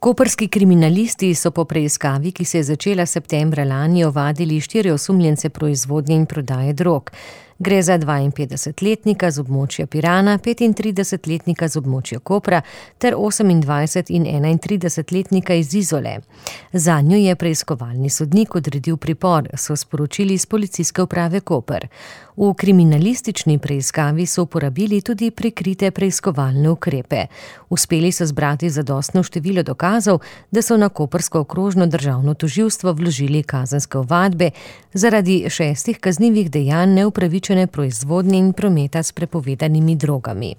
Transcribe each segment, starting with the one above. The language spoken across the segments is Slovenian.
Koprski kriminalisti so po preiskavi, ki se je začela septembra lani, ovadili 4 osumljence proizvodnje in prodaje drog. Gre za 52-letnika z območja Pirana, 35-letnika z območja Kopra ter 28- in 31-letnika iz Izole. Zanjo je preiskovalni sodnik odredil pripor, so sporočili iz Policijske uprave Koper. V kriminalistični preiskavi so uporabili tudi prikrite preiskovalne ukrepe. Uspeli so zbrati zadostno število dokazov, da so na koprsko okrožno državno tožilstvo vložili kazenske ovadbe zaradi 6 kaznivih dejanj neupravičene proizvodnje in prometa s prepovedanimi drogami.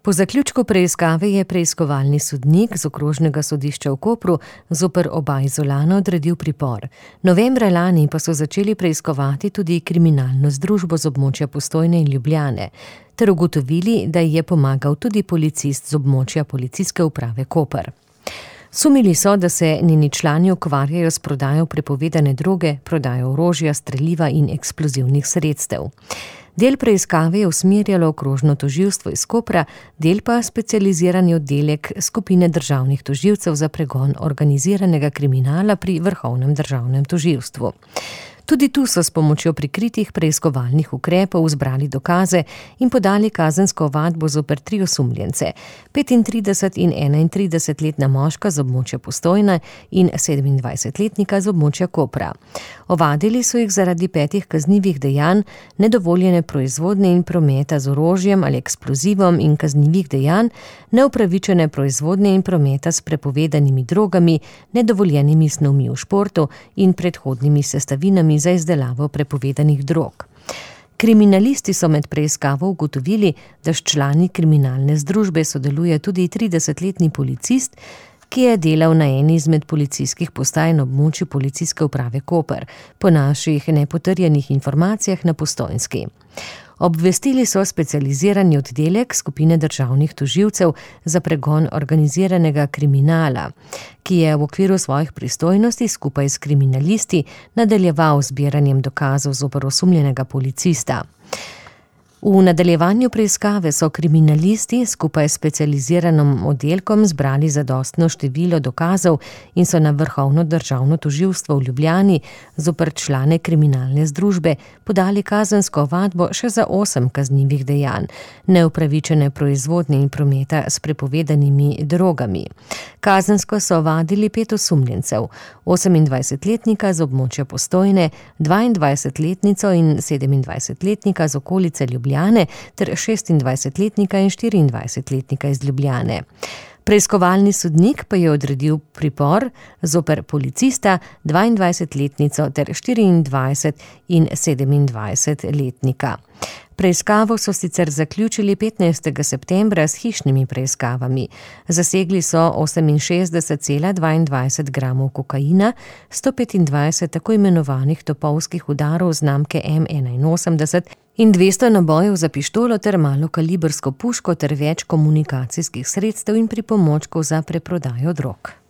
Po zaključku preiskave je preiskovalni sodnik z okrožnega sodišča v Kopru zoper oba Izolana odredil pripor. Novembra lani pa so začeli preiskovati tudi kriminalno združbo z območja Postojne in Ljubljane, ter ugotovili, da ji je pomagal tudi policist z območja Policijske uprave Koper. Sumili so, da se njeni člani ukvarjajo s prodajo prepovedane droge, prodajo orožja, streliva in eksplozivnih sredstev. Del preiskave je usmerjalo okrožno tožilstvo iz Kopra, del pa specializirani oddelek skupine državnih tožilcev za pregon organiziranega kriminala pri Vrhovnem državnem tožilstvu. Tudi tu so s pomočjo prikritih preiskovalnih ukrepov zbrali dokaze in podali kazensko ovadbo zoper 3 osumljence, 35- in 31-letna moška z območja Postojne in 27-letnika z območja Kopra. Ovadili so jih zaradi 5 kaznivih dejanj, nedovoljene proizvodnje in prometa z orožjem ali eksplozivom in kaznivih dejanj, neupravičene proizvodnje in prometa s prepovedanimi drogami, nedovoljenimi snovmi v športu in predhodnimi sestavinami za izdelavo prepovedanih drog. Kriminalisti so med preiskavo ugotovili, da s člani kriminalne združbe sodeluje tudi 30-letni policist, ki je delal na eni izmed policijskih postaj na območju Policijske uprave Koper, po naših nepotrjenih informacijah na Postojnski. Obvestili so specializirani oddelek skupine državnih tožilcev za pregon organiziranega kriminala, ki je v okviru svojih pristojnosti skupaj s kriminalisti nadaljeval z zbiranjem dokazov zoper osumljenega policista. V nadaljevanju preiskave so kriminalisti skupaj s specializiranim oddelkom zbrali zadostno število dokazov in so na Vrhovno državno tožilstvo v Ljubljani zoper člane kriminalne združbe podali kazensko ovadbo še za 8 kaznivih dejanj, neupravičene proizvodnje in prometa s prepovedanimi drogami. Kazensko so ovadili 5 osumljencev, 28-letnika z območja Postojne, 22-letnico in 27-letnika z okolice Ljubljane ter 26-letnika in 24-letnika iz Ljubljane. Preiskovalni sodnik pa je odredil pripor zoper policista, 22-letnico ter 24- in 27-letnika. Preiskavo so sicer zaključili 15. septembra s hišnimi preiskavami. Zasegli so 68,22 gramov kokaina, 125 tako imenovanih topovskih udarov znamke M81 in 200 nabojev za pištolo ter malokalibrsko puško ter več komunikacijskih sredstev in pripomočkov za preprodajo drog.